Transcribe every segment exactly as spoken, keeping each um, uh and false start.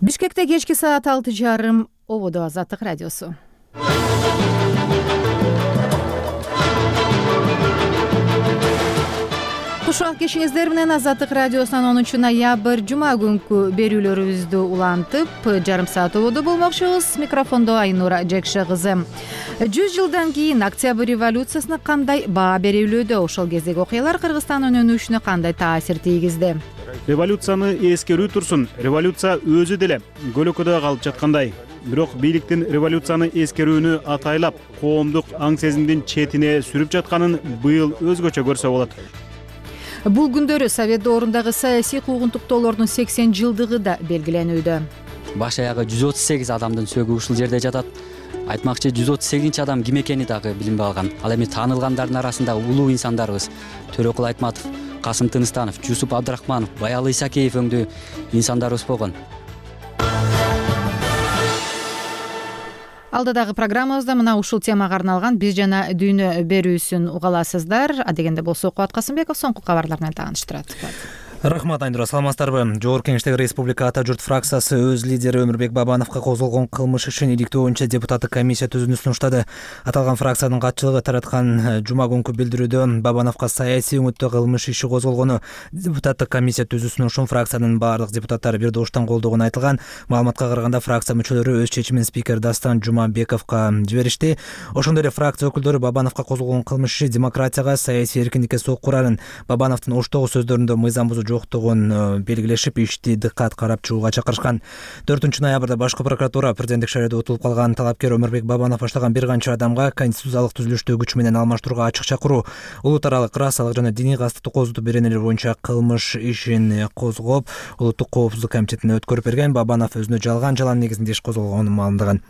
Бишкекте кечки саат алты жарым ободо Азаттык радиосу. Кушак кешиңиздер менен Азаттык радиосунан онунчу ноябрь жума күнкү берүүлөрүбүздү улантып, жарым саат ободо болмокчубуз. Микрофондо Айнура Жекше кызы. жүз жылдан кийин Октябрь революциясына кандай баа берилүүдө? Ошол кездеги окуялар Кыргызстандын өнүгүшүнө кандай таасир тийгизди? Революцияны эскерүү турсун. Революция өзү деле көлөкөдө калып жаткандай. Бирок бийликтин революцияны эскерүүнү атайлап, коомдук аң сезимдин четине сүрүп жатканын быйыл өзгөчө көрсө болот. Бул күндөрү Совет доорундагы саясий куугунтуктоолордун сексен жылдыгы да белгиленүүдө. Баш аягы жүз отуз сегиз адамдын сөөгү ушул жерде жатат. Айтмакчы, жүз отуз сегизинчи адам ким экени дагы билинбей калган. Ал эми таанылгандардын арасында улуу инсандарыбыз: Төрөкул Айтматов, Касым Тыныстанов, Жусуп Абдрахманов, Баялы Исакеев өңдүү инсандарыбыз болгон. Алдыдагы программабызда мына ушул темага арналган «Биз жана дүйнө» берүүсүн уга аласыздар. Адегенде болсо Кубат Касымбеков соңку кабарлар менен тааныштырат. Рахмат, Айнура. Саламатсыздарбы? Жогорку Кеңештеги Республика Ата журт фракциясы өз лидери Өмүрбек Бабановго козголгон кылмыш ишин иликтөө боюнча депутаттык комиссия түзүүнү сунуштады. Аталган фракциянын катчылыгы тараткан жума күнкү билдирүүдө Бабановго саясий үмүттө кылмыш иши козголгону, депутаттык комиссия түзүү сунушун фракциянын баардык депутаттары бир добуштан колдогону айтылган. Маалыматка караганда фракция мүчөлөрү өз чечимин спикер Дастан Жумабековго жиберишти. Ошондой эле фракция өкүлдөрү Бабановго козголгон кылмыш иши демократияга, саясий эркиндикке сокку урарын, Бабановдун оштогу сөздөрүндө мыйзам бузуу жоктугун белгилешип, ишти дыккат карап чыгууга чакырышкан. төртүнчү ноябрда башкы прокуратура президенттик шайлоодо утулуп калган талапкер Өмүрбек Бабанов баштаган бир канча адамга конституциялык түзүлүштү күч менен алмаштырууга ачык чакыруу, улут аралык расалык жана диний кастыктуу кооздукту беренелер боюнча кылмыш ишин козгоп, улуттук коопсуздук комитетине өткөрүп берген. Бабанов өзүнө жалган жалан негизинде иш козголгонун маалымдаган.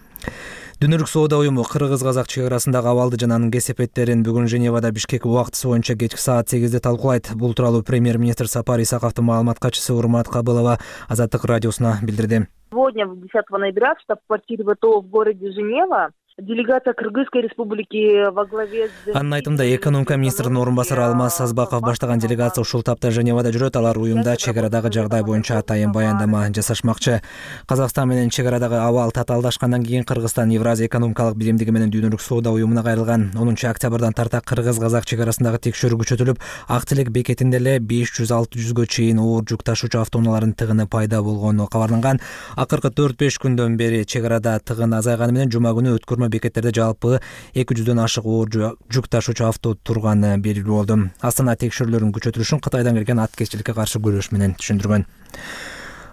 Дүнөлүк соода уюму Кыргыз-Казак чек арасындагы абалды жана анын кесепеттерин бүгүн Женевада Бишкек убактысы боюнча кечки саат сегизде талкуулайт. Бул тууралуу премьер-министр Сапар Исаковдун маалымат катчысы Урмат Кабылова Азаттык радиосуна билдирди. Сегодня, десятого ноября, в штаб-квартире ВТО в городе Женева, делегация Кыргызской республики во главе с... Анын айтымында, экономика министринин орун басары Алмаз Сазбаков баштаган делегация ушул тапта Женевада жүрөт. Алар уюмда чек арадагы жагдай боюнча атайын баяндама жасашмакчы. Казакстан менен чек арадагы абал татаалдашкандан кийин Кыргызстан Евразия экономикалык биримдиги менен Дүнөлүк соода уюмуна кайрылган. онунчу октябрдан тарта Кыргыз-Казак чек арасындагы текшерүү күчөтүлүп, Ак Тилек бекетинде эле беш жүз алты жүзгө чейин оор жүк ташуучу автоунаалардын тыгыны пайда болгону кабарланган. Акыркы төрт беш күндөн бери чек арада тыгын азайганы менен жума күнү өткөрмө бекеттерде жалпы эки жүздөн ашык оор жүк ташуучу авто турганы белгилүү болду. Астана текшерүүлөрүнүн күчөтүлүшүн Кытайдан келген аткезчиликке каршы күрөш менен түшүндүргөн.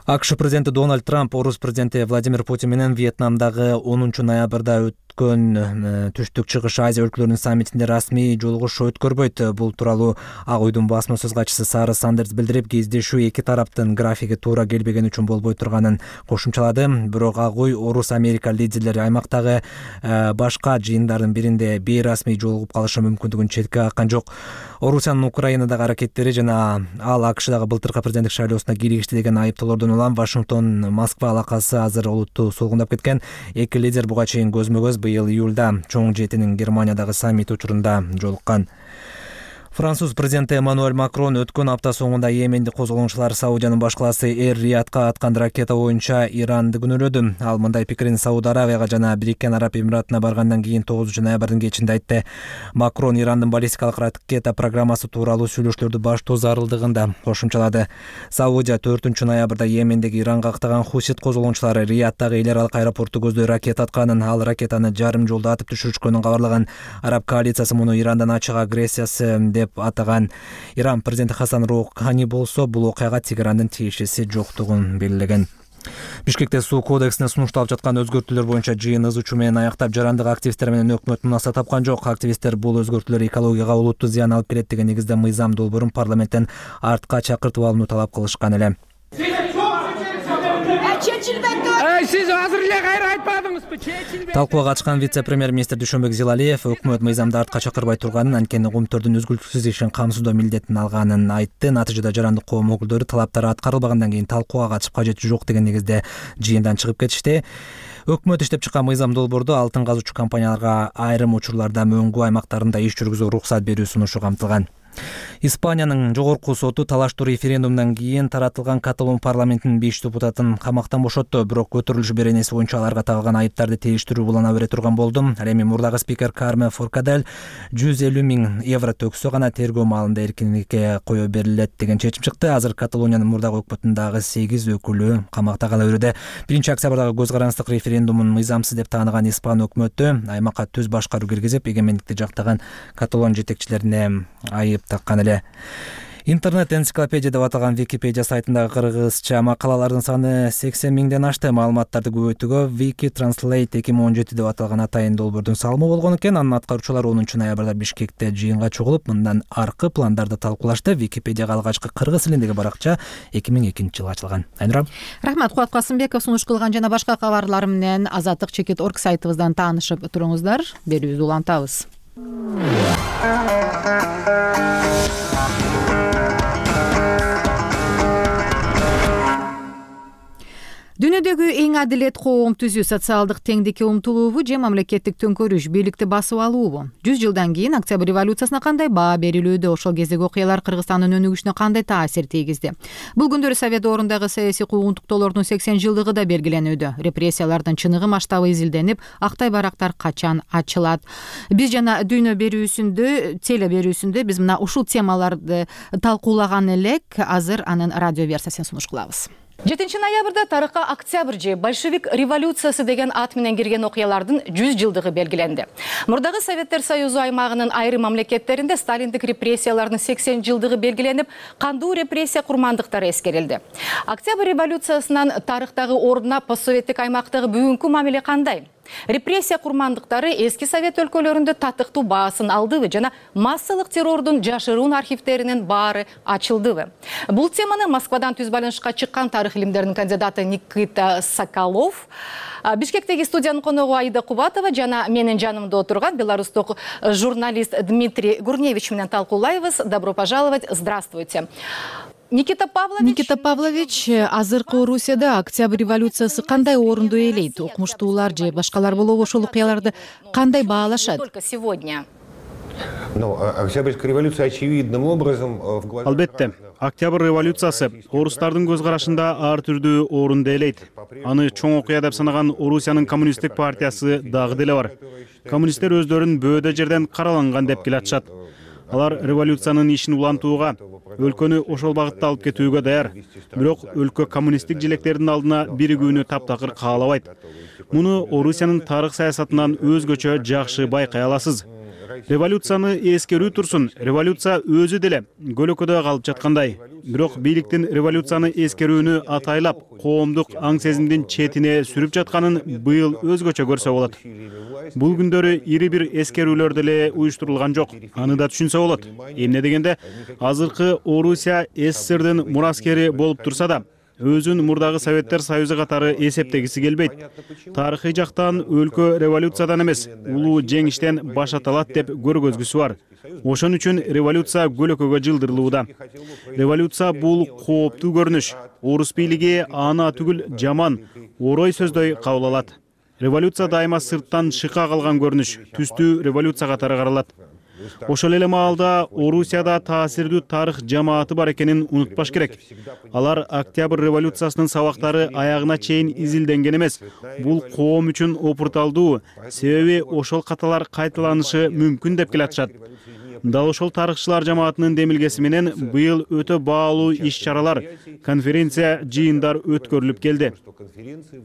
АКШ президенти Дональд Трамп орус президенти Владимир Путин менен Вьетнамдагы онунчу ноябрда өткөн түштүк чыгыш Азия өлкөлөрүнүн саммитинде расмий жолугуш өткөрбөйт. Бул тууралуу Ак уйдун басма сөз катчысы Сара Сандерс билдирип, кездешүү эки тараптын графиги туура келбеген үчүн болбой турганын кошумчалады. Бирок Ак уй орус Америка лидерлери аймактагы башка жыйындардын биринде бейрасмий жолугуп калышы мүмкүндүгүн четке каккан жок. Орусиянын Украинадагы аракеттери жана ал АКШдагы былтыркы президенттик шайлоосуна киргизди деген айыптоолордон улам Вашингтон Москва алакасы азыр олуттуу солгундап кеткен. Эки лидер буга чейин көзмө-көз быйыл июлда чоң жетинин Германиядагы саммити учурунда жолуккан. Француз президенти Эммануэль Макрон өткөн апта соңунда Йеменди козголгончулар Саудиянын баш калаасы Эр-Риядка аткан ракета боюнча Иранды күнөөлөдү. Ал мындай пикирин Сауд Аравияга жана Бириккен Араб Эмиратына баргандан кийин тогузунчу ноябрдын кечинде айтты. Макрон Ирандын баллистикалык ракета программасы тууралуу сүйлөшүүлөрдү баштоо зарылдыгында кошумчалады. Саудия төртүнчү ноябрда Йемендеги Иранга актаган Хусит козголгончулары Риядтагы эл аралык аэропорту көздөй ракета атканын, ал ракетаны жарым жолдо атып түшүрүшкөнүн кабарлаган. Араб коалициясы муну Ирандан ачык агрессиясы деп атаган. Иран президенти Хасан Роухани болсо бул окуяга Тегерандын тиешеси жоктугун белгилеген. Бишкекте суу кодексине сунушталып жаткан өзгөртүүлөр боюнча жыйын ыз учуу менен аяктап, жарандык активисттер менен өкмөт мунаса тапкан жок. Активисттер бул өзгөртүүлөр экологияга улуттуу зыян алып келет деген негизде мыйзам долбоорун парламенттен артка чакыртып алууну талап кылышкан эле. Siz азыр эле кайра айтпадыңызбы? Чечилбей. Талкууга катышкан вице-премьер-министр Дүйшөнбек Зилалиев өкмөт мыйзамды артка чакырбай турганын, анткени кумтөрдүн үзгүлтүксүз ишин камсыздоо милдетин алганын айтты. Натыйжада жарандык коом өкүлдөрү талаптары аткарылбагандан кийин талкууга катышып кажети жок деген негизде жыйындан чыгып кетишти. Өкмөт иштеп чыккан мыйзам долбоордо алтын казуучу компанияларга айрым учурларда мөңгү аймактарында иш жүргүзүүгө уруксат берүү сунушу камтылган. Испаниянын жогорку соту талаштуу референдумдан кийин таратылган Каталон парламентинин беш депутатын камактан бошотту. Бирок көтөрүлүш беренеси боюнча аларга тагылган айыптарды териштирүү улана бере турган болду. Ал эми мурдагы спикер Карме Форкадель жүз элүү миң евро төксө гана тергөө маалында эркиндикке кое берилет деген чечим чыкты. Азыр Каталониянын мурдагы өкмөтүндагы сегиз өкүлү камакта кала берүүдө. биринчи октябрдагы көз карандысыздык референдумун мыйзамсыз деп тааныган Испан өкмөтү аймакка түз башкаруу киргизип, эгемендикти жактаган Каталон жетекчилерине айып таккан эле. Интернет-энциклопедия деп аталган Википедия сайтындагы кыргызча макалалардын саны сексен миңден ашты. Маалыматтарды көбөйтүүгө Wiki Translate эки миң он жети деп аталган атайын долбоордун салымы болгон экен. Анын аткаруучулары онунчу ноябрда Бишкекте жыйынга чогулуп, мындан аркы пландарды талкуулашты. Википедияга алгачкы кыргыз тилиндеги баракча эки миң экинчи жылы ачылган. Айнура. Рахмат, Кубат Касымбеков сунуш кылган жана башка кабарлар менен азаттык чекит точка орг сайтыбыздан таанышып туруңуздар. Берүүбүздү улантабыз. Дүйнөдөгү эң адилет коом түзүү социалдык теңдикке умтулуубу же мамлекеттик төңкөрүш, бийликти басып алуубу? жүз жылдан кийин Октябрь революциясына кандай баа берилүүдө, ошол кездеги окуялар Кыргызстандын өнүгүшүнө кандай таасир тийгизди? Бул күндөрү Совет доорундагы саясий куугунтуктоолордун сексен жылдыгы да белгиленүүдө. Репрессиялардын чыныгы масштабы изилденип, актай барактар качан ачылат? Биз жана дүйнө берүүсүндө, теле берүүсүндө биз мына ушул темаларды талкуулаган элек. Азыр анын радио версиясын сунуш кылабыз. жетинчи ноябрда тарыхка Октябрь же большевик революциясы деген ат менен кирген окуялардын жүз жылдыгы белгиленди. Мурдагы Советтер Союзу аймагынын айрым мамлекеттеринде сталиндик репрессиялардын сексен жылдыгы белгиленип, кандуу репрессия курмандыктары эскерилди. Октябрь революциясынан тарыхтагы ордуна постсоветтик аймактагы бүгүнкү мамиле кандай? Репрессия курмандыктары эски Совет өлкөлөрүндө татыктуу баасын алдыбы жана массалык террордун жашыруун архивтеринин баары ачылдыбы? Бул теманы Москвадан түз байланышка чыккан тарых илимдеринин кандидаты Никита Соколов, Бишкектеги студиянын коногу Аида Кубатова жана менин жанымда отурган белорустук журналист Дмитрий Гурневич менен талкуулайбыз. Добро пожаловать, здравствуйте. Никита Павлович, Никита Павлович, азыркы Орусияда Октябрь революциясы кандай орунду ээлейт? Окумуштуулар же башкалар болобу ошол окуяларды кандай баалашат? Только сегодня. Ну, Октябрьская революция очевидным образом в глазах... Албетте, Октябрь революциясы орустардын көз карашында ар түрдүү орунду ээлейт. Аны чоң окуя деп санаган Орусиянын коммунисттик партиясы дагы деле бар. Коммунисттер өздөрүн бөөдө жерден караланган деп келатышат. Алар революциянын ишин улантууга, өлкөнү ошол багытта алып кетүүгө даяр. Бирок өлкө коммунисттик желектердин алдына биригүүнү таптакыр каалабайт. Муну Орусиянын тарых саясатынан өзгөчө жакшы байкай аласыз. Революцияны эскерүү турсун, революция өзү деле көлөкөдө калып жаткандай. Бирок бийликтин революцияны эскерүүнү атайлап, коомдук аң сезимдин четине сүрүп жатканын быйыл өзгөчө көрсө болот. Бул күндөрү ири бир эскерүүлөр деле уюштурулган жок. Аны да түшүнсө болот. Эмне дегенде, азыркы Орусия СССРдин мураскери болуп турса да, өзүн мурдагы Советтер Союзу катары эсептегиси келбейт. Тарыхый жактан өлкө революциядан эмес, улуу жеңиштен баш аталат деп көргөзгүсү бар. Ошон үчүн революция көлөкөгө жылдырылууда. Революция бул кооптуу көрүнүш. Орус бийлиги аны түгүл жаман, орой сөздөй кабыл алат. Революция дайыма сырттан шыка калган көрүнүш, түстүү революция катары каралат. Ошол эле маалда Орусияда таасирдүү тарых жамааты бар экенин унутпаш керек. Алар Октябрь революциясынын сабактары аягына чейин изилденген эмес. Бул коом үчүн опурталдуу, себеби ошол каталар кайталанышы мүмкүн деп келатышат. Дал ошол тарыхчылар жамаатынын демилгеси менен быйыл өтө баалуу иш-чаралар, конференция, жыйындар өткөрүлүп келди.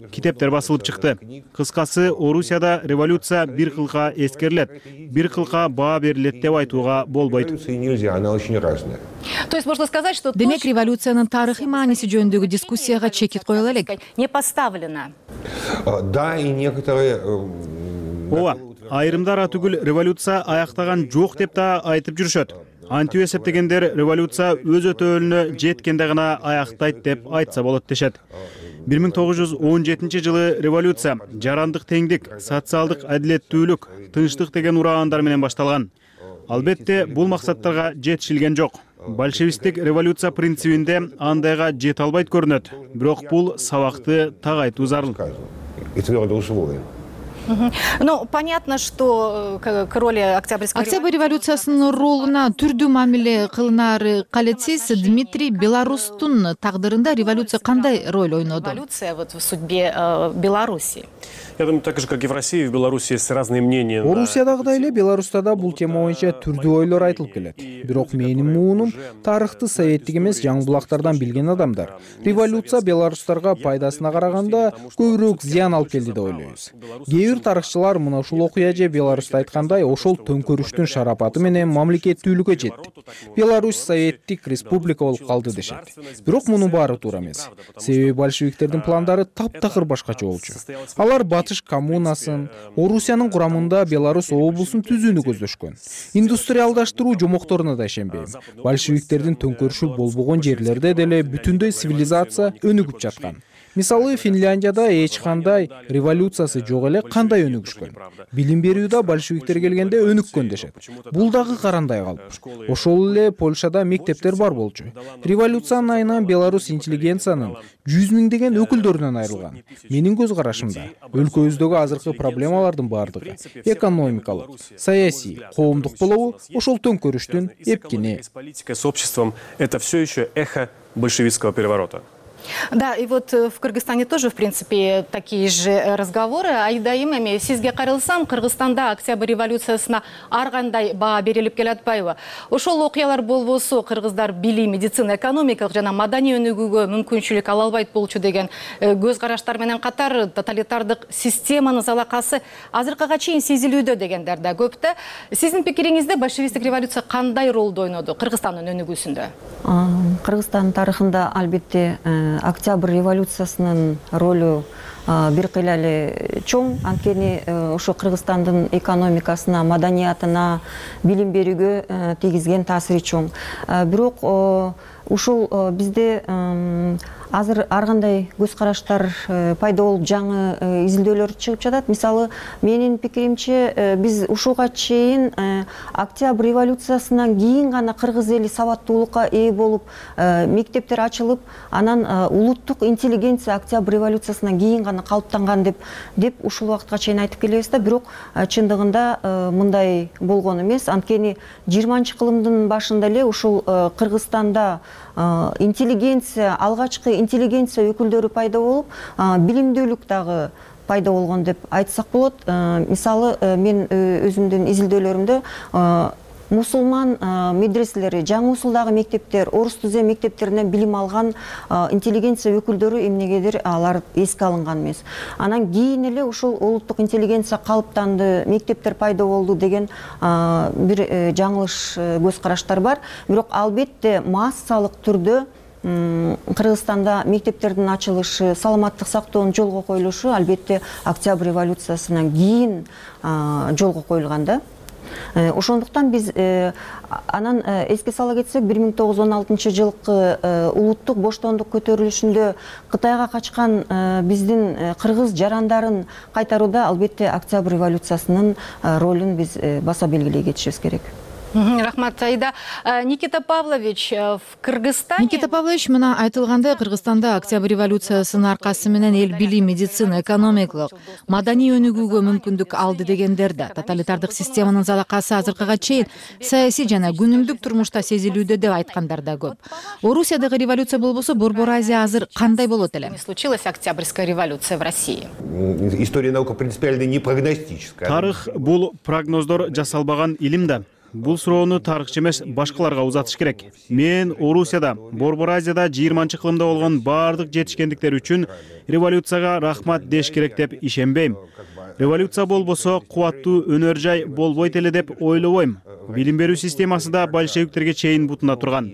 Китептер басылып чыкты. Кыскасы, Орусияда революция бир кылка эскерилет, бир кылка баа берилет деп айтууга болбойт. То есть можно сказать, что демек революциянын тарыхый мааниси жөнүндөгү дискуссияга чекит коюла элек. Не поставлено. Да, и некоторые... Ооба, айрымдар түгүл революция аяктаган жок деп да айтып жүрүшөт. Антип эсептегендер революция өз өтөөлүнө жеткенде гана аяктайт деп айтса болот дешет. бир миң тогуз жүз он жетинчи жылы революция жарандык теңдик, социалдык адилеттүүлүк, тынчтык деген ураандар менен башталган. Албетте, бул максаттарга жетишилген жок. Большевистик революция принцибинде андайга жете албайт көрүнөт. Бирок бул сабакты тагайтуу зарыл. Ну, понятно, что к роли Октябрьской Октябрь революциясынын ролуна түрдүү мамиле кылынаары калетсиз Дмитрий Беларустун тагдырында революция кандай роль ойноду? Революция вот в судьбе э, Беларуси. Я думаю, так же, как и в России, в Беларуси есть разные мнения. Орусиядагыдай эле Беларуста да бул тема боюнча түрдүү ойлор айтылып келет. Бирок менин муунум тарыхты советтик эмес жаңы булактардан билген адамдар. Революция беларустарга пайдасына караганда көбүрөөк зыян алып келди деп ойлойбуз. Кээ бир тарыхчылар мына ушул окуя же Беларуста айткандай ошол төңкөрүштүн шарапаты менен мамлекеттүүлүккө жетти. Беларусь советтик республика болуп калды дешет. Бирок мунун баары туура эмес. Себеби большевиктердин пландары таптакыр башкача болчу. Алар Батыш коммунасын, Орусиянын курамында Беларусь облусун түзүүнү көздөшкөн. Индустриалдаштыруу жомокторуна да ишенбейм. Большевиктердин төңкөрүшү болбогон жерлерде деле бүтүндөй цивилизация өнүгүп жаткан. Мисалы, Финляндияда эч кандай революциясы жок эле кандай өнүгүшкөн. Билим берүүдө большевиктер келгенде өнүккөн дешет. Бул дагы карандай калп. Ошол эле Польшада мектептер бар болчу. Революциянын айынан Беларусь интеллигенциянын жүз миңдеген өкүлдөрүнөн айрылган. Менин көз карашымда өлкөбүздөгү азыркы проблемалардын баардыгы экономикалык, саясий, коомдук болобу ошол төңкөрүштүн эпкини. Политика с обществом — это все еще эхо большевистского переворота. Да, и вот в Кыргызстане тоже, в принципе, такие же разговоры. Айда эми сизге каралсам, Кыргызстанда Октябрь революциясына ар кандай баа берилип келатпайбы? Ошол окуялар болбосо кыргыздар билим, медицина, экономикалык жана маданий өнүгүүгө мүмкүнчүлүк ала албайт болчу деген көз караштар менен катар тоталитардык системанын залакасы азыркыга чейин сезилүүдө дегендер да көп да. Сиздин пикириңизде большевистик революция кандай ролду ойноду Кыргызстандын өнүгүүсүндө? Кыргызстан тарыхында албетте Октябрь революциясынын ролу бир кыйла эле чоң. Анткени ошо Кыргызстандын экономикасына, маданиятына, билим берүүгө тийгизген таасири чоң. Бирок ушул бизде азыр ар кандай көз караштар пайда болуп, жаңы изилдөөлөр чыгып жатат. Мисалы, менин пикиримче, биз ушуга чейин Октябрь революциясынан кийин гана кыргыз эли сабаттуулукка ээ болуп, мектептер ачылып, анан улуттук интеллигенция Октябрь революциясынан кийин гана калыптанган деп деп ушул убакытка чейин айтып келебиз да. Бирок чындыгында мындай болгон эмес. Анткени жыйырманчы кылымдын башында эле ушул Кыргызстанда интеллигенция, алгачкы интеллигенция өкүлдөрү пайда болуп, билимдүүлүк дагы пайда болгон деп айтсак болот. Мисалы, мен өзүмдүн изилдөөлөрүмдө мусулман медреселери, жаңы усулдагы мектептер, орус түзө мектептеринен билим алган интеллигенция өкүлдөрү эмнегедир алар эске алынган эмес. Анан кийин эле ушул улуттук интеллигенция калыптанды, мектептер пайда болду деген бир жаңылыш көз караштар бар. Бирок албетте массалык түрдө Кыргызстанда мектептердин ачылышы, саламаттык сактоонун жолго коюлушу албетте Октябрь революциясынан кийин жолго коюлган да. Ошондуктан биз анан эске сала кетсек, бир миң тогуз жүз он алтынчы жылкы улуттук боштондук көтөрүлүшүндө Кытайга качкан биздин кыргыз жарандарын кайтарууда албетте Октябрь революциясынын ролун биз баса белгилей кетишибиз керек. Рахмат, Айда. Никита Павлович, в Кыргызстане... Никита Павлович, мына айтылгандай, Кыргызстанда Октябрь революциясынын аркасы менен эл билим, медицина, экономикалык, маданий өнүгүүгө мүмкүндүк алды дегендер да. Тоталитардык системанын залакасы азыркыга чейин саясий жана күнүмдүк турмушта сезилүүдө деп айткандар да көп. Орусиядагы революция болбосо, Борбор Азия азыр кандай болот эле? Случилась Октябрьская революция в России. История наука принципиально не прогностическая. Тарых бул прогноздор жасалбаган илим да. Бул суроону тарыхчы эмес башкаларга узатыш керек. Мен Орусияда, Борбор Азияда жыйырманчы кылымда болгон баардык жетишкендиктер үчүн революцияга рахмат деш керек деп ишенбейм. Революция болбосо кубаттуу өнөр жай болбойт эле деп ойлобойм. Билим берүү системасы да большевиктерге чейин бутуна турган.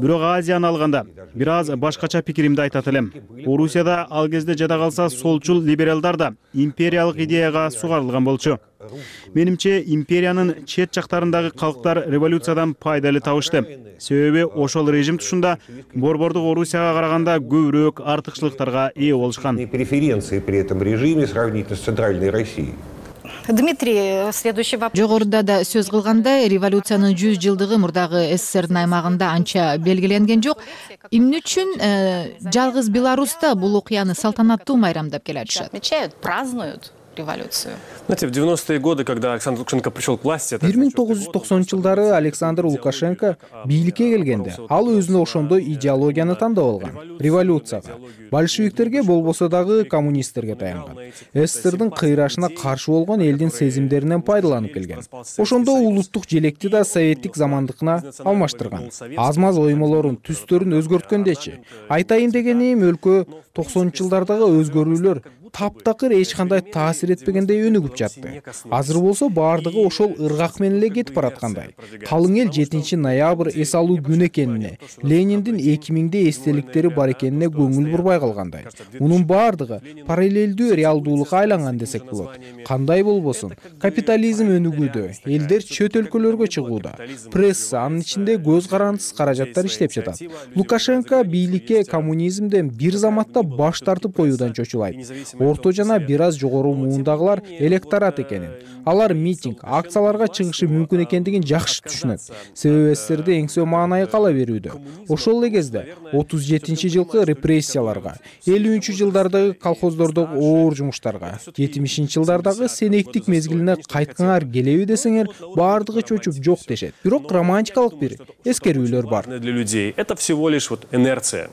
Бирок Азияны алганда бир аз башкача пикиримди айтат элем. Орусияда ал кезде жада калса солчул либералдар да империялык идеяга сугарылган болчу. Менимче, империянын чет жактарындагы калктар революциядан пайдалуу табышты. Себеби ошол режим тушунда Борбордук Орусияга караганда көбүрөөк артыкчылыктарга ээ болушкан. Преференции при этом режиме сравнительно с Центральной Россией. Дмитрий, следующий вопрос. Жогоруда да сөз кылгандай, революциянын жүз жылдыгы мурдагы СССРдин аймагында анча белгиленген жок. Эмне үчүн жалгыз Беларуста бул окуяны салтанаттуу майрамдап келатышат? Отмечают, празднуют. революцию? Знаете, в девяностые годы, когда Александр Лукашенко пришел к власти... бир миң тогуз жүз токсонунчу жылдары Александр Лукашенко бийликке келгенде ал өзүнө ошондой идеологияны тандап алган. Революцияга, большевиктерге болбосо дагы коммунисттерге таянган. СССРдин кыйрашына каршы болгон элдин сезимдеринен пайдаланып келген. Ошондо улуттук желекти да советтик замандыкына алмаштырган. Аз-маз оймолорун, түстөрүн өзгөрткөндечи. Айтайын дегеним, өлкө токсонунчу жылдардагы өзгөрүүлөр таптакыр эч кандай таасир этпегендей өнүгүп жатты. Азыр болсо баардыгы ошол ыргак менен эле кетип бараткандай. Калың эл жетинчи ноябрь эс алуу күнү экенине, Лениндин эки миңде эстеликтери бар экенине көңүл бурбай калгандай. Мунун баардыгы параллелдүү реалдуулукка айланган десек болот. Кандай болбосун, капитализм өнүгүүдө, элдер чөт өлкөлөргө чыгууда, пресса, анын ичинде көз карандысыз каражаттар иштеп жатат. Лукашенко бийликке коммунизмден бир заматта баш тартып коюудан чочулайт. Орто жана бир аз жогору муундагылар электорат экенин, алар митинг, акцияларга чыгышы мүмкүн экендигин жакшы түшүнөт. Себеби СССРде эңсөө маанайы кала берүүдө. Ошол эле кезде отуз жетинчи жылкы репрессияларга, элүүнчү жылдардагы колхоздордогу оор жумуштарга, жетимишинчи жылдардагы сенектик мезгилине кайткаңар келеби десеңер, баардыгы чочуп жок дешет. Бирок романтикалык бир эскерүүлөр бар. Для людей это всего лишь вот инерция.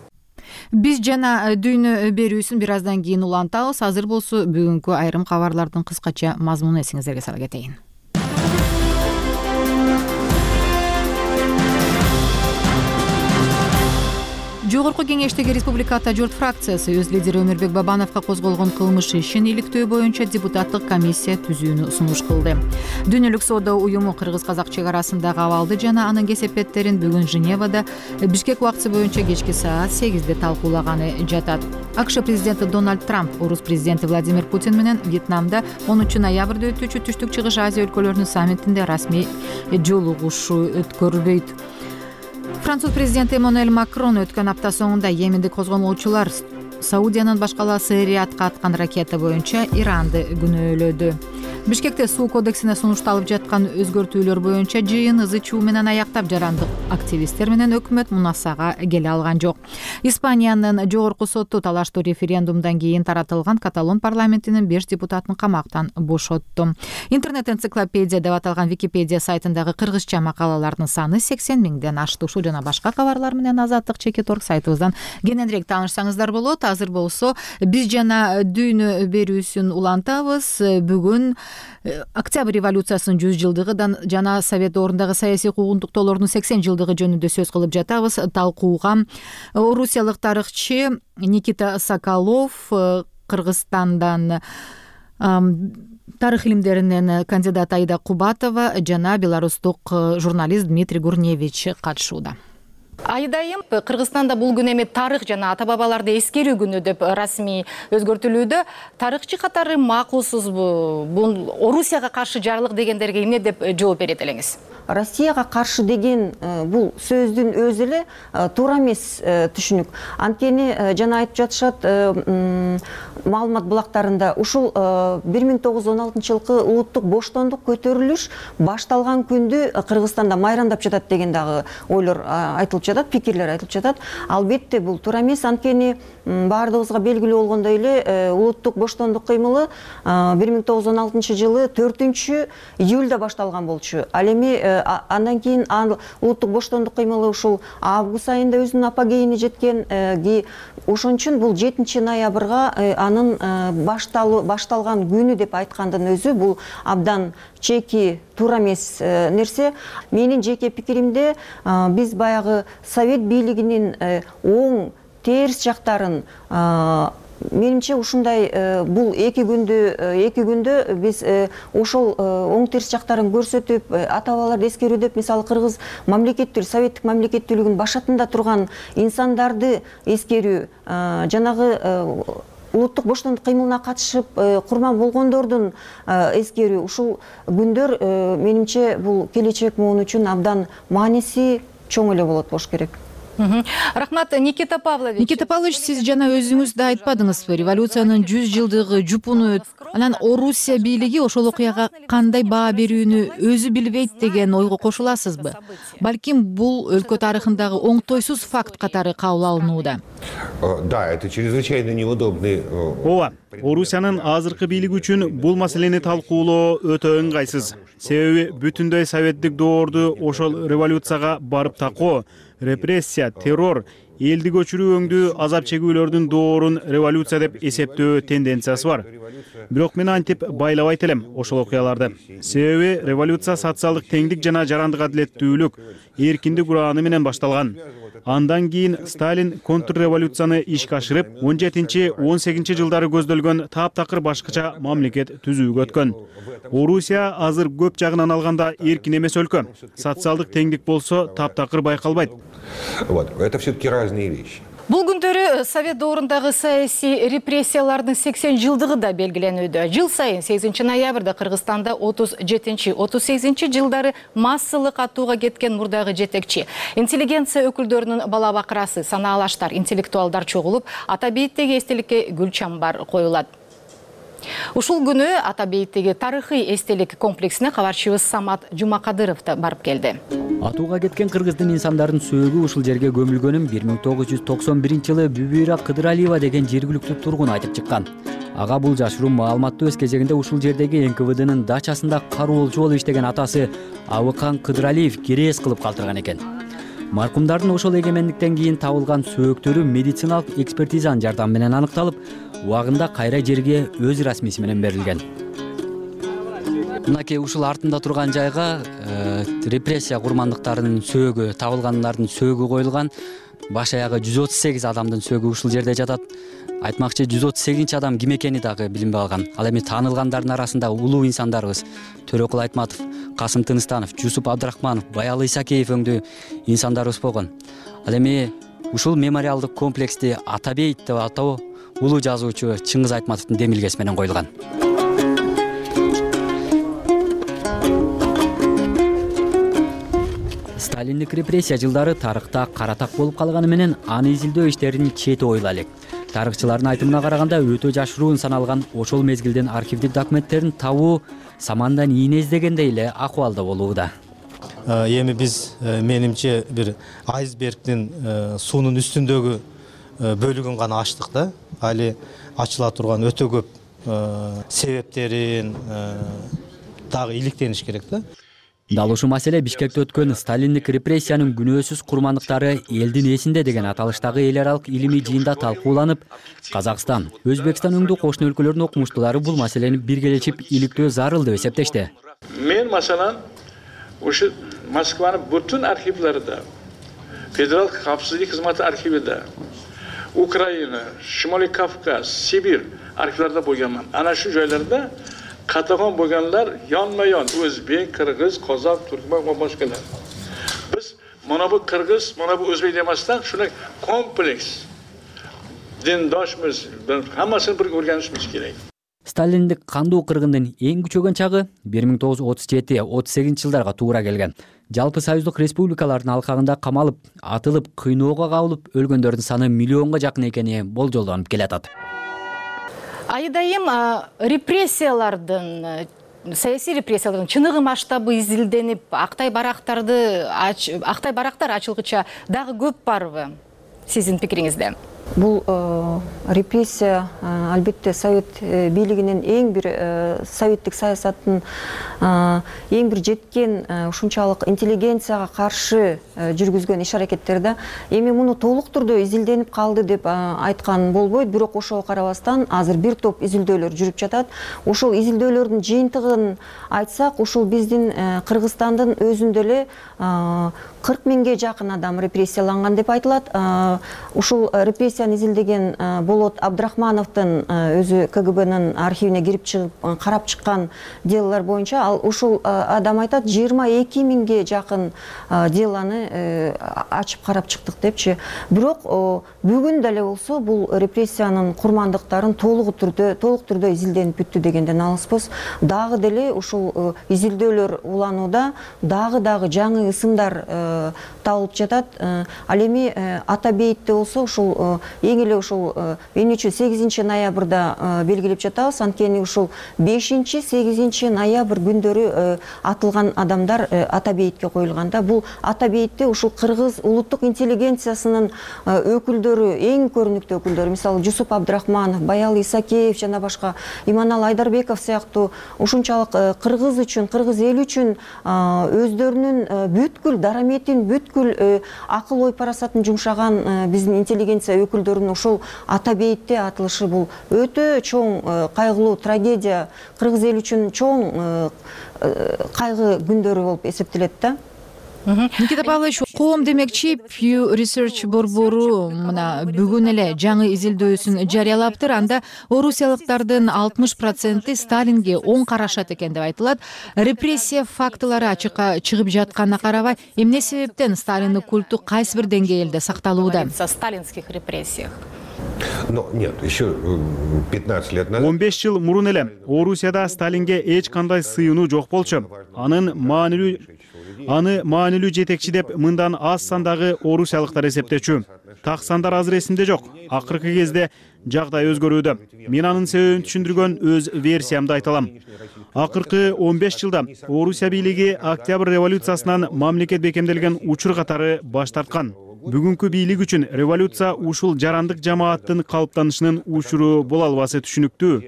Биз жана дүйнө берүүсүн бир аздан кийин улантабыз. Азыр болсо бүгүнкү айрым кабарлардын кыскача мазмунун эсиңиздерге сала кетейин. Жогорку кеңештеги Республика Ата журт фракциясы өз лидери Өмүрбек Бабановго козголгон кылмыш ишин иликтөө боюнча депутаттык комиссия түзүүнү сунуш кылды. Дүйнөлүк соода уюму кыргыз-казак чек арасындагы абалды жана анын кесепеттерин бүгүн Женевада Бишкек убактысы боюнча кечки саат сегизде талкуулаганы жатат. АКШ президенти Дональд Трамп орус президенти Владимир Путин менен Вьетнамда онунчу ноябрда өтүүчү Түштүк Чыгыш Азия өлкөлөрүнүн саммитинде расмий жолугушуу өткөрбөйт. Француз президенти Эммануэль Макрон өткөн апта соңунда Йемендик козгоолчулар Саудиянын башкаласы Риядка аткан ракета боюнча Иранды күнөөлөдү. Бишкекте суу кодексине сунушталып жаткан өзгөртүүлөр боюнча жыйын ызы чуу менен аяктап, жарандык активисттер менен өкмөт мунасага келе алган жок. Испаниянын жогорку соту талаштуу референдумдан кийин таратылган Каталон парламентинин беш депутатын камактан бошотту. Интернет-энциклопедия деп аталган Википедия сайтындагы кыргызча макалалардын саны сексен миңден ашты. Ушул жана башка кабарлар менен Азаттык чекит орг сайтыбыздан кененирээк таанышсаңыздар болот. Азыр болсо биз жана дүйнө берүүсүн улантабыз. Бүгүн Октябрь революциясынын жүз жылдыгыдан жана Совет ордундагы саясий куугунтуктоолордун сексен жылдыгы жөнүндө сөз кылып жатабыз. Талкууга орусиялык тарыхчы Никита Соколов, Кыргызстандан тарых илимдеринен кандидат Аида Кубатова жана беларустук журналист Дмитрий Гурневич катышууда. Айдайым, Кыргызстанда бул күн эми тарых жана ата бабаларды эскерүү күнү деп расмий өзгөртүлүүдө. Тарыхчы катары макулсузбу? Бул Орусияга каршы жарлык дегендерге эмне деп жооп берет элеңиз? Россияга каршы деген бул сөздүн өзү эле туура эмес түшүнүк. Анткени жана айтып жатышат маалымат булактарында ушул бир миң тогуз жүз он алтынчы жылкы улуттук боштондук көтөрүлүш башталган күндү Кыргызстанда майрандап жатат деген дагы ойлор айтылып жатат, пикирлер айтылып жатат. Албетте бул туура эмес, анткени баардыгыбызга белгилүү болгондой эле улуттук боштондук кыймылы бир миң тогуз жүз он алтынчы жылы төртүнчү июлда башталган болчу. Ал эми андан кийин улуттук боштондук кыймылы ушул август айында өзүнүн апогейине жеткен. Ошон үчүн бул жетинчи ноябрга анын башталган күнү деп айткандын өзү бул абдан чеки туура эмес нерсе. Менин жеке пикиримде биз баягы Совет бийлигинин оң терс жактарын менимче ушундай бул эки күндө эки күндө биз ошол оң терс жактарын көрсөтүп, ата бабаларды эскерүүдө, мисалы кыргыз мамлекеттүүлүк, советтик мамлекеттүүлүгүнүн башатында турган инсандарды эскерүү, жанагы улуттук боштондук кыймылына катышып курман болгондордун эскерүү, ушул күндөр менимче бул келечек муун үчүн абдан мааниси чоң эле болот болуш керек. Рахмат, Никита Павлович. Никита Павлович, сиз жана өзүңүз да айтпадыңызбы? Революциянын жүз жылдыгы жупуну анан Орусия бийлиги ошол окуяга кандай баа берүүнү өзү билбейт деген ойго кошуласызбы? Балким бул өлкө тарыхындагы оңтойсуз факт катары кабыл алынууда. Да, это чрезвычайно неудобный. Ооба, Орусиянын азыркы бийлиги үчүн бул маселени талкуулоо өтө ыңгайсыз. Себеби бүтүндөй советтик доорду ошол революцияга барып такоо, репрессия, террор, элди көчүрүү өңдүү азап чегүүлөрдүн доорун революция деп эсептөө тенденциясы бар. Бирок мен антип байлабайт элем ошол окуяларды. Себеби революция социалдык теңдик жана жарандык адилеттүүлүк, эркиндик урааны менен башталган. Андан кийин Сталин контрреволюцияны ишке ашырып, он жетинчи он сегизинчи жылдары көздөлгөн таптакыр башкача мамлекет түзүүгө өткөн. Орусия азыр көп жагынан алганда эркин эмес өлкө. Социалдык теңдик болсо таптакыр байкалбайт. Вот, это все-таки разные вещи. Бул күндөрү Совет доорундагы саясий репрессиялардын сексен жылдыгы да белгиленүүдө. Жыл сайын сегизинчи ноябрда Кыргызстанда отуз жетинчи отуз сегизинчи жылдары массалык атууга кеткен мурдагы жетекчи, интеллигенция өкүлдөрүнүн бала бакырасы, санаалаштар, интеллектуалдар чогулуп, ата бейиттеги эстеликке гүл чамбар коюлат. Ушул күнү ата бейиттеги тарыхый эстелик комплексине кабарчыбыз Самат Жумакадыров да барып келди. Атууга кеткен кыргыздын инсандарын сөөгү ушул жерге көмүлгөнүн бир миң тогуз жүз токсон биринчи жылы Бүбүйра Кыдыралиева деген жергиликтүү тургун айтып чыккан. Ага бул жашыруун маалыматты өз кезегинде ушул жердеги эн ка вэ дынын дачасында кароолчу болуп иштеген атасы Абыкан Кыдыралиев керээс кылып калтырган экен. Маркумдардын ошол эгеменликтен кийин табылган сөөктөрү медициналык экспертизанын жардамы менен аныкталып, убагында кайра жерге өз расмиси менен берилген. Мынакей ушул артында турган жайга репрессия курмандыктарынын сөөгү, табылгандардын сөөгү коюлган. Баш аягы жүз отуз сегиз адамдын сөөгү ушул жерде жатат. Айтмакчы жүз отуз сегизинчи адам ким экени дагы билинбей калган. Ал эми таанылгандардын арасында улуу инсандарыбыз Төрөкул Айтматов, Касым Тыныстанов, Жусуп Абдрахманов, Баялы Исакеев өңдүү инсандарыбыз болгон. Ал эми ушул мемориалдык комплексти Ата бейит деп атоо улуу жазуучу Чыңгыз Айтматовдун демилгеси менен коюлган. Сталиндик репрессия жылдары тарыхта каратак болуп калганы менен аны изилдөө иштеринин чети оюла элек. Тарыхчылардын айтымына караганда өтө жашыруун саналган ошол мезгилдин архивдик документтерин табуу самандан ийне издегендей эле акыбалда болууда. Эми биз менимче бир айсбергдин суунун үстүндөгү бөлүгүн гана ачтык да. Али ачыла турган өтө көп себептерин дагы иликтениш керек да. Дал ушул маселе Бишкекте өткөн Сталиндик репрессиянын күнөөсүз курмандыктары элдин эсинде деген аталыштагы эл аралык илимий жыйында талкууланып, Казакстан, Өзбекстан өңдүү кошуна өлкөлөрдүн окумуштуулары бул маселени биргелешип иликтөө зарыл деп эсептешти. Мен масалан ушу Москванын бүтүн архивларында, Федерал капсыздык кызматы архивиде, Украина, Шимолий Кавказ, Сибирь архивларында болгонмун. Ана шу жайларда катаган болгонлар yonma-yon Өзбек, Кыргыз, Козак, Туркман ва башкалар. Биз мына бу Кыргыз, мына бу Өзбек демастан шуны комплекс диндошмуз, хаммасын бир o'rganishimiz керек. Сталиндик кандуу кыргындын эң күчөгөн чагы бир миң тогуз жүз отуз жети отуз сегизинчи жылдарга туура келген. Жалпы союздук республикалардын алкагында камалып, атылып, кыйноого кабылып өлгөндөрдүн саны миллионго жакын экени болжолдонуп келатат. Айдайым репрессиялардын, саясий репрессиялардын чыныгы масштабы изилденип, актай барактарды, актай барактар ачылгыча дагы көп барбы? Сиздин пикириңизде? Бул репрессия албетте совет бийлигинин эң бир советтик саясаттын эң бир жеткен ушунчалык интеллигенцияга каршы жүргүзгөн иш аракеттер да. Эми муну толук түрдө изилденип калды деп айткан болбойт, бирок ошого карабастан азыр бир топ изилдөөлөр жүрүп жатат. Ошол изилдөөлөрдүн жыйынтыгын айтсак, ушул биздин Кыргызстандын өзүндө эле кырк миңге жакын адам репрессияланган деп айтылат. Ушул репрессияны изилдеген Болот Абдрахмановдун өзү ка гэ бэнин архивине кирип чыгып карап чыккан делолор боюнча ал ушул адам айтат жыйырма эки миңге жакын делоны ачып карап чыктык депчи. Бирок бүгүн деле болсо бул репрессиянын курмандыктарын толук түрдө толук түрдө изилденип бүттү дегенден алыспыз. Дагы деле ушул изилдөөлөр уланууда, дагы дагы жаңы ысымдар табылып жатат. Ал эми Ата бейитте болсо ушул эң эле ушул эмне үчүн сегизинчи ноябрда белгилеп жатабыз, анткени ушул бешинчи сегизинчи ноябрь күндөрү атылган адамдар ата бейитке коюлганда, бул ата бейитте ушул кыргыз улуттук интеллигенциясынын өкүлдөрү, эң көрүнүктүү өкүлдөрү, мисалы Жусуп Абдрахманов, Баял Исакеев жана башка, Иманал Айдарбеков сыяктуу ушунчалык кыргыз үчүн, кыргыз эли үчүн өздөрүнүн бүткүл дараметин, бүткүл акыл ой парасатын жумшаган биздин интеллигенция өкүлдөрүнүн ошол ата бейитте атылышы бул өтө чоң кайгылуу трагедия, кыргыз эли үчүн чоң кайгы күндөрү болуп эсептелет да. Никита Павлович, коом демекчи Pew Research борбору мына бүгүн эле жаңы изилдөөсүн жарыялаптыр. Анда орусиялыктардын алтымыш проценти Сталинге оң карашат экен деп айтылат. Репрессия фактылары ачыкка чыгып жатканына карабай, эмне себептен Сталиндин культу кайсы бир деңгээлде сакталууда? О сталинских репрессиях. Но нет, еще пятнадцать лет назад. он беш жыл мурун эле Орусияда Сталинге эч кандай сыйынуу жок болчу. Анын маанилүү аны маанилүү жетекчи деп мындан аз сандагы орусиялыктар эсептечү. Так сандар азыр эсимде жок. Акыркы кезде жагдай өзгөрүүдө. Мен анын себебин түшүндүргөн өз версиямды айта алам. Акыркы он беш жылда Орусия бийлиги Октябрь революциясынан мамлекет бекемделген учур катары баш тарткан. Бүгүнкү бийлик үчүн революция ушул жарандык жамааттын калыптанышынын учуру боло албасы түшүнүктүү.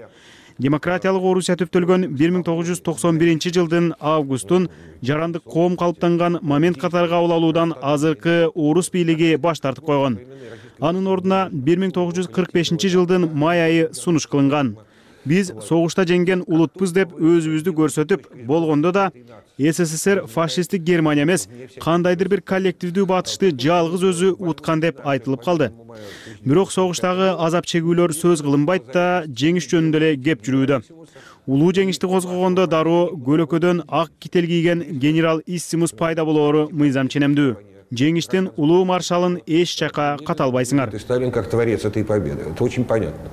Демократиялык Орусия түптөлгөн бир миң тогуз жүз токсон биринчи жылдын августун жарандык коом калыптанган момент катары кабыл алуудан азыркы орус бийлиги баш тартып койгон. Анын ордуна бир миң тогуз жүз кырк бешинчи жылдын май айы сунуш кылынган. Биз согушта жеңген улутпуз деп өзүбүздү көрсөтүп, болгондо да СССР фашисттик Германия эмес, кандайдыр бир коллективдүү батышты жалгыз өзү уткан деп айтылып калды. Бирок согуштагы азап чегүүлөр сөз кылынбайт да, жеңиш жөнүндө эле кеп жүрүүдө. Улуу жеңишти козгогондо дароо көлөкөдөн ак кител кийген генерал Иссимус пайда болоору мыйзам ченемдүү. Жеңиштин улуу маршалын эч жака ката албайсыңар. Сталин как творец этой победы. Это очень понятно.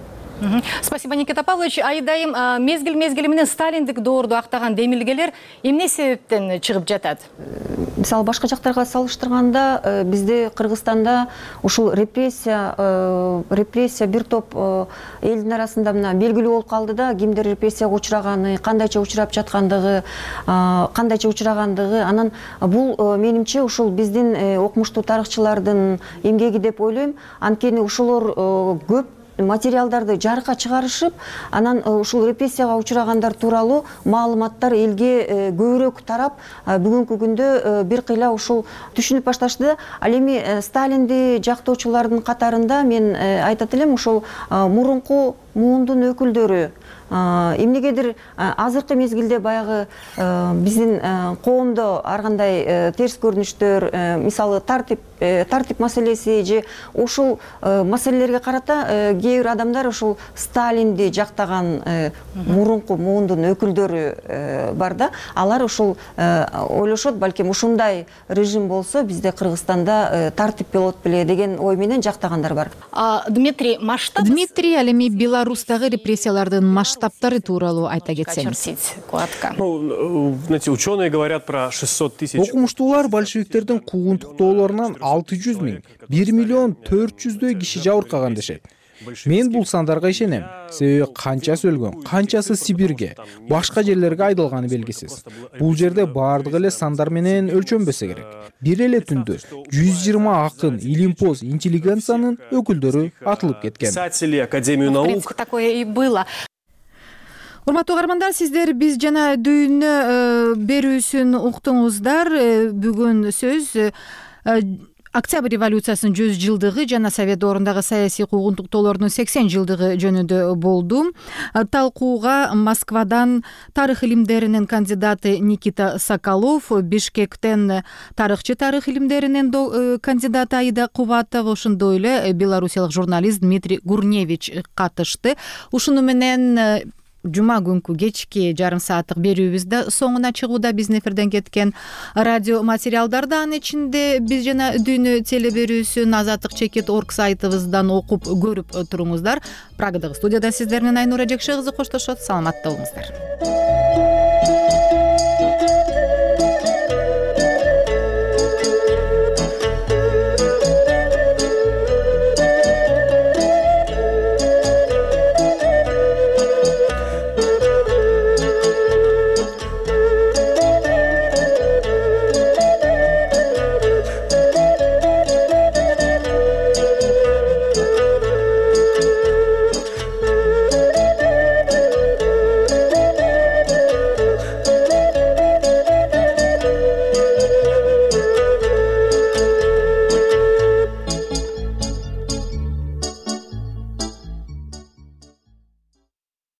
Спасибо, Никита Павлович. Айдайым, мезгил-мезгили менен Сталиндик доорду актаган демилгелер эмне себептен чыгып жатат? Мисалы башка жактарга салыштырганда бизде Кыргызстанда ушул репрессия репрессия бир топ элдин арасында мына белгилүү болуп калды да, кимдер репрессияга учураганы, кандайча учурап жаткандыгы, кандайча учурагандыгы. Анан бул менимче ушул биздин окумуштуу тарыхчылардын эмгеги деп ойлойм. Анткени ушулар көп материалдарды жарыкка чыгарышып, анан ушул репрессияга учурагандар тууралуу маалыматтар элге көбүрөөк тарап, бүгүнкү күндө бир кыйла ушул түшүнүп башташты. Ал эми Сталинди жактоочулардын катарында мен айтат элем, ушул мурунку муундун өкүлдөрү эмнегедир азыркы мезгилде баягы биздин коомдо ар кандай терс көрүнүштөр, мисалы тартип тартип маселеси же ушул маселелерге карата кээ бир адамдар ушул Сталинди жактаган мурунку муундун өкүлдөрү бар да. Алар ушул ойлошот, балким ушундай режим болсо бизде Кыргызстанда тартип болот беле деген ой менен жактагандар бар. Дмитрий, масштаб Дмитрий, ал эми Беларустагы репрессиялардын масштабтары тууралуу айта кетсеңиз. Ну, знаете, ученые говорят про шестьсот тысяч. Окумуштуулар большевиктердин куугунтуктоолорунан алты жүз миң, бир миллион төрт жүздөй киши жабыркаган дешет. Мен бул сандарга ишенем. Себеби канчасы өлгөн, канчасы Сибирге, башка жерлерге айдалганы белгисиз. Бул жерде баардык эле сандар менен өлчөнбөсө керек. Бир эле түндө жүз жыйырма акын, илимпоз, интеллигенциянын өкүлдөрү атылып кеткен. Писатели, Академию наук. Такое и было. Урматтуу угармандар, сиздер биз жана дүйнө берүүсүн уктуңуздар. Бүгүн сөз Октябрь революциясынын жүз жылдыгы жана Совет доорундагы саясий куугунтуктоолордун сексен жылдыгы жөнүндө болду. Талкууга Москвадан тарых илимдеринин кандидаты Никита Соколов, Бишкектен тарыхчы тарых илимдеринин кандидаты Аида Кубатова, ошондой эле белорусиялык журналист Дмитрий Гурневич катышты. Ушуну менен жума күнкү кечки жарым сааттык берүүбүздө соңуна чыгууда. Биздин эфирден кеткен радио материалдарды анын ичинде биз жана дүйнө теле берүүсүн азаттык чекит орг сайтыбыздан окуп көрүп туруңуздар. Прагадагы студиядан сиздер менен Айнура Жекше кызы коштошот. Саламатта болуңуздар.